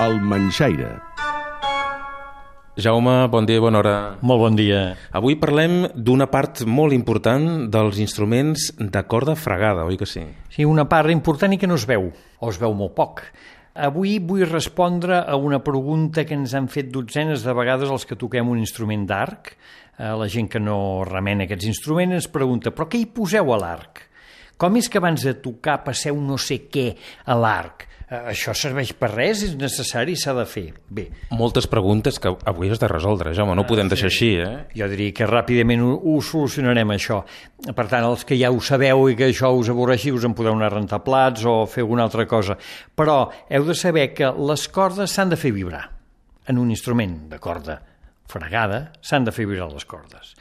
El Manxaire. Jaume, bon dia i bona hora. Molt bon dia. Avui parlem d'una part molt important dels instruments de corda fregada, oi que sí? Sí, una part important i que no es veu, o es veu molt poc. Avui vull respondre a una pregunta que ens han fet dotzenes de vegades els que toquem un instrument d'arc. La gent que no remena aquests instruments ens pregunta, però què hi poseu a l'arc? Com és que abans de tocar passeu no sé què a l'arc? Això serveix per res? És necessari? S'ha de fer? Bé. Moltes preguntes que avui has de resoldre, Jaume, no ho podem deixar així, Jo diria que ràpidament ho solucionarem, això. Per tant, els que ja ho sabeu i que això us avorreixi, us en podeu anar a rentar plats o fer alguna altra cosa. Però heu de saber que les cordes s'han de fer vibrar. En un instrument de corda fregada s'han de fer vibrar les cordes.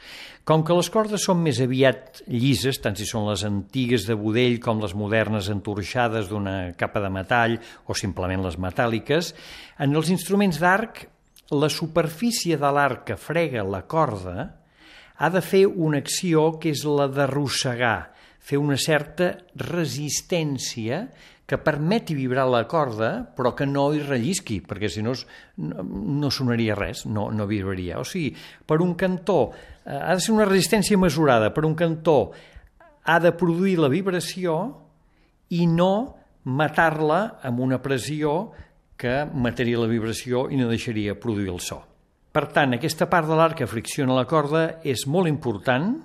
Com que les cordes són més aviat llises, tant si són les antigues de budell com les modernes entorxades d'una capa de metall o simplement les metàl·liques, en els instruments d'arc, la superfície de l'arc que frega la corda ha de fer una acció que és la d'arrossegar, fer una certa resistència que permeti vibrar la corda, però que no hi rellisqui, perquè si no no sonaria res, no vibraria. O sigui, per un cantó ha de ser una resistència mesurada, per un cantó ha de produir la vibració i no matar-la amb una pressió que mataria la vibració i no deixaria produir el so. Per tant, aquesta part de l'arc que fricciona la corda és molt important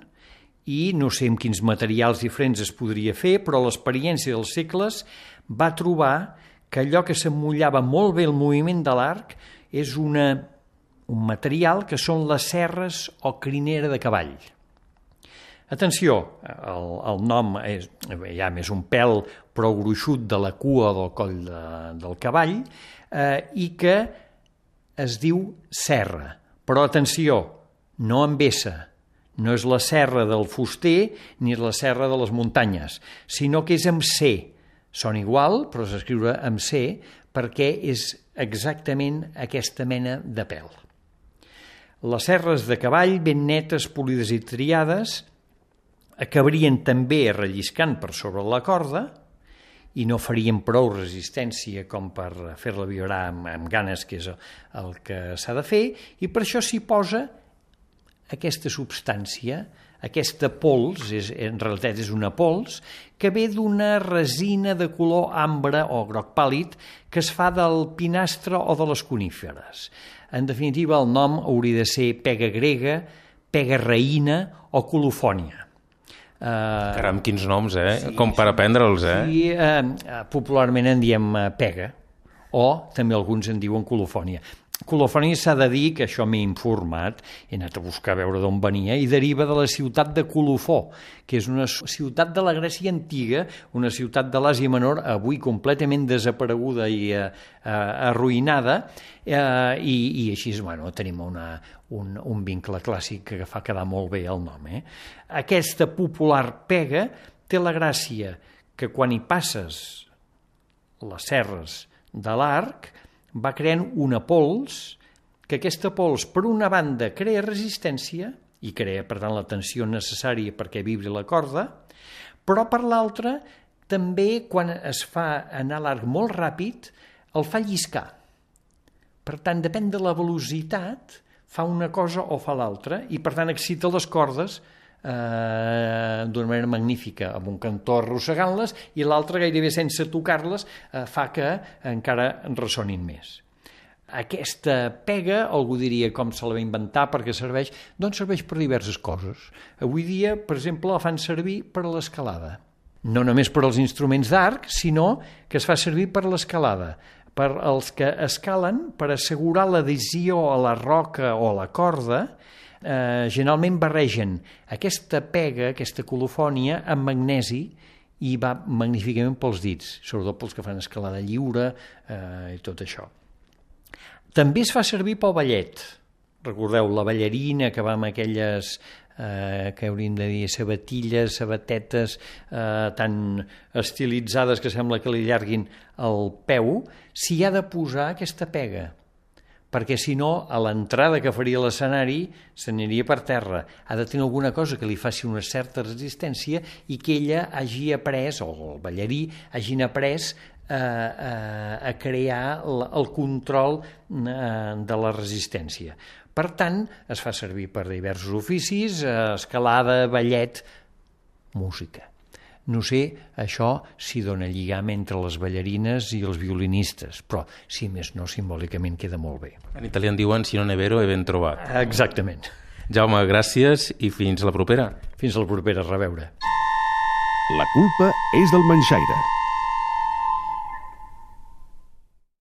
i no sé amb quins materials diferents es podria fer, però l'experiència dels segles va trobar que allò que s'emmollava molt bé el moviment de l'arc és un material que són les serres o crinera de cavall. Atenció, el nom és ja més un pèl prou gruixut de la cua del coll del cavall i que es diu serra. Però atenció, no amb S, no és la serra del fuster ni és la serra de les muntanyes, sinó que és amb C. Són igual, però s'escriure amb C perquè és exactament aquesta mena de pèl. Les serres de cavall ben netes, polides i triades acabarien també relliscant per sobre la corda i no farien prou resistència com per fer-la vibrar amb ganes, que és el que s'ha de fer, i per això s'hi posa aquesta substància, aquesta pols, en realitat és una pols, que ve d'una resina de color ambre o groc pàl·lid que es fa del pinastre o de les coníferes. En definitiva, el nom hauria de ser pega grega, pega reïna o colofònia. Caram, quins noms, com per aprendre'ls, Sí, popularment en diem pega, o també alguns en diuen colofònia. Colofònia s'ha de dir, que això m'he informat, he anat a buscar a veure d'on venia, i deriva de la ciutat de Colofó, que és una ciutat de la Grècia antiga, una ciutat de l'Àsia Menor, avui completament desapareguda i arruïnada, i així tenim un vincle clàssic que fa quedar molt bé el nom. Aquesta popular pega té la gràcia que quan hi passes les serres de l'arc va creant una pols, que aquesta pols, per una banda, crea resistència i crea, per tant, la tensió necessària perquè vibri la corda, però per l'altra, també, quan es fa anar l'arc molt ràpid, el fa lliscar. Per tant, depèn de la velocitat, fa una cosa o fa l'altra, i per tant excita les cordes d'una manera magnífica, amb un cantó arrossegant-les, i l'altre gairebé sense tocar-les fa que encara ressonin més. Aquesta pega, algú diria com se la va inventar, perquè serveix, doncs serveix per diverses coses. Avui dia, per exemple, la fan servir per a l'escalada. No només per als instruments d'arc, sinó que es fa servir per l'escalada, per als que escalen, per assegurar l'adhesió a la roca o a la corda. Generalment barregen aquesta pega, aquesta colofònia, amb magnesi i va magníficament pels dits, sobretot pels que fan escalada lliure i tot això. També es fa servir pel ballet. Recordeu, la ballarina que va amb aquelles que hauríem de dir sabatilles, sabatetes tan estilitzades que sembla que li allarguin el peu, s'hi ha de posar aquesta pega, perquè si no, a l'entrada que faria l'escenari s'aniria per terra. Ha de tenir alguna cosa que li faci una certa resistència i que ella hagi après, o el ballarí hagin après, a crear el control de la resistència. Per tant, es fa servir per diversos oficis, escalada, ballet, música. No sé, això si dona lligam entre les ballarines i els violinistes, però, si més no, simbòlicament queda molt bé. En italià en diuen si non è vero, è ben trobat. Exactament. Jaume, gràcies i fins la propera. Fins la propera, a reveure. La culpa és del manxaire.